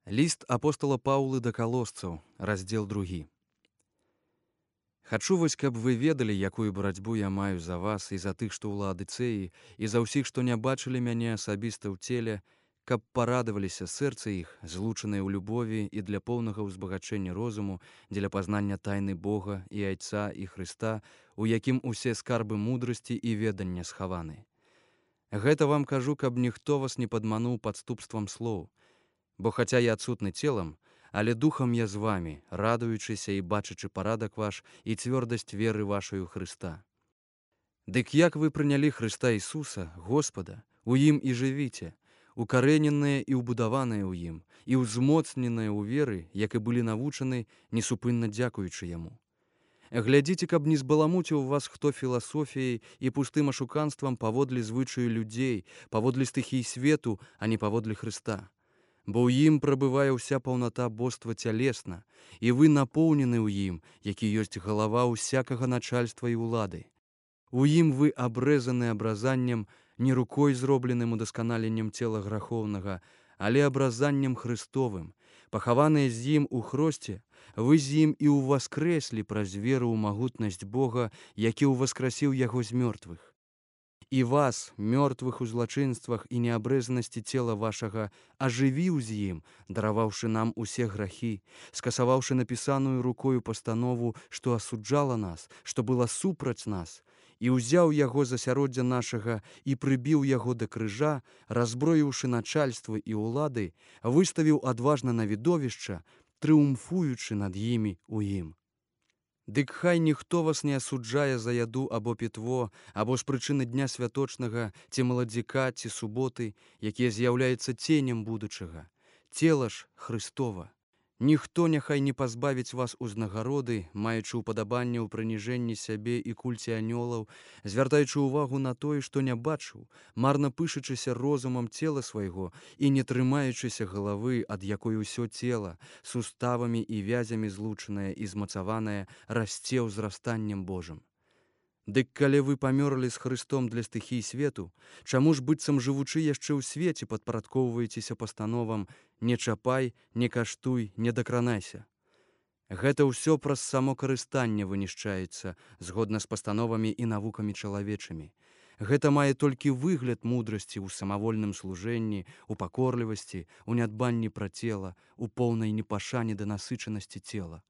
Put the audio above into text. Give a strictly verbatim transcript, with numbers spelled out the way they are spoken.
Ліст апостала Паўлы да калосцаў, раздзел другі. Хачу вось, каб вы ведалі, якую барацьбу я маю за вас і за тых, што ў Лаадыцэі, і за ўсіх, што не бачылі мяне асабіста ў целе, каб парадаваліся сэрцы іх, злучаныя ў любові і для поўнага ўзбагачэння розуму, дзеля пазнання тайны Бога і Айца і Хрыста, у якім усе скарбы мудрасці і ведання схаваны. Гэта вам кажу, каб ніхто вас не падмануў падступствам слоў. Бо хаця я адсутны целам, але духам я з вамі, радуючыся і бачачы парадак ваш і цвёрдасць веры вашай у Хрыста. Дык як вы прынялі Хрыста Ісуса, Господа, у ім і жывіце, укарэненыя і ўбудаваныя ў ім, і ўзмоцненыя ў веры, як і былі навучаны, несупынна дзякуючы яму. Глядзіце, каб не збаламуціў вас хто філасофіяй і пустым ашуканствам паводле звычаю людзей, паводле стыхій свету, а не паводле Хрыста. Бо ў ім прабывае ўся паўната боства цялесна, і вы напоўнены ў ім, які ёсць галава ўсякага начальства і ўлады. У ім вы абрэзаны абразаннем, не рукой зробленым удасканаленнем цела грахоўнага, але абразаннем Хрыстовым, пахаваныя з ім у хросце, вы з ім і ўваскрэслі праз веру ў магутнасць Бога, які ўваскрасіў яго з мёртвых. І вас, мёртвых у злачынствах і неабрэзанасці цела вашага, ажывіў з ім, дараваўшы нам усе грахі, скасаваўшы напісаную рукою пастанову, што асуджала нас, што была супраць нас, і ўзяў яго з асяроддзя нашага і прыбіў яго да крыжа, разброіўшы начальствы і ўлады, выставіў адважна на відовішча, трыумфуючы над імі ў ім. Дык хай ніхто вас не асуджае за яду або пітво, або з прычыны дня святочнага, ці маладзіка, ці суботы, якія з'яўляецца ценем будучага. Цела ж Хрыстова. Ніхто няхай не пазбавіць вас узнагароды, маючы ўпадабанне ў прыніжэнні сябе і кульце анёлаў, звяртаючы ўвагу на тое, што не бачыў, марна пышачыся розумам цела свайго і не трымаючыся галавы, ад якой усё цела, суставамі і вязямі злучанае і змацаванае, расце ўзрастаннем Божым. Дык калі вы памёрлі з Хрыстом для стыхій свету, чаму ж быццам жывучы яшчэ ў свеце падпарадкоўваецеся пастановам «не чапай, не каштуй, не дакранайся». Гэта ўсё праз само карыстанне вынішчаецца, згодна з пастановамі і навукамі чалавечымі. Гэта мае толькі выгляд мудрасці ў самавольным служэнні, у пакорлівасці, у нядбанні пра цела, у поўнай непашане да насычанасці цела.